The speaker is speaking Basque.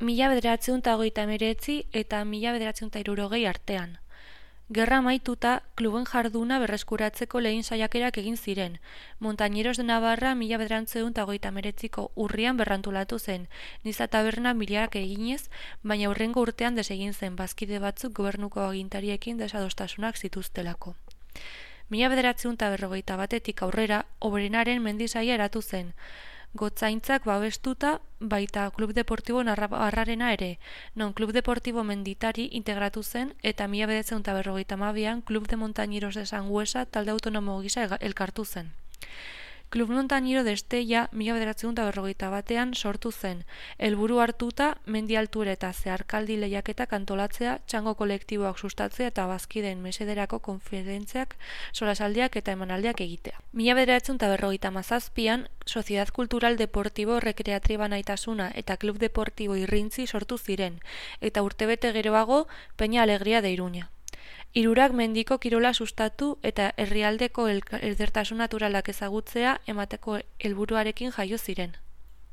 1939 eta 1960 artean. Gerra amaituta, kluben jarduna berreskuratzeko lehen saiakerak egin ziren. Montañeros de Navarra 1939ko urrian berrantolatu zen, Niza taberna miliarak eginez, baina hurrengo urtean desegin zen, bazkide batzuk gobernuko agintariekin desadostasunak zituztelako. 1941etik aurrera, Obrenaren mendisaia eratu zen, Gotzaintzak babestuta baita Klub Deportibo Navarrarena ere, non Klub Deportibo Menditari integratu zen eta 1952an Klub de Montañeros de Sangüesa talde autonomo gisa elkartu zen. Klub Montañero de Estella 1951an sortu zen, helburu hartuta mendi altura eta zeharkaldi lehiaketak antolatzea, txango kolektiboak sustatzea eta bazkideen mesederako konferentziak, solasaldiak eta emanaldiak egitea. 1957an Sociedad Cultural Deportivo Recreativa Naitasuna eta Klub Deportibo Irrintzi sortu ziren, eta urtebete geroago Peña Alegria de Iruña. Hirurak mendiko kirola sustatu eta herrialdeko edertasun naturalak ezagutzea emateko helburuarekin jaio ziren.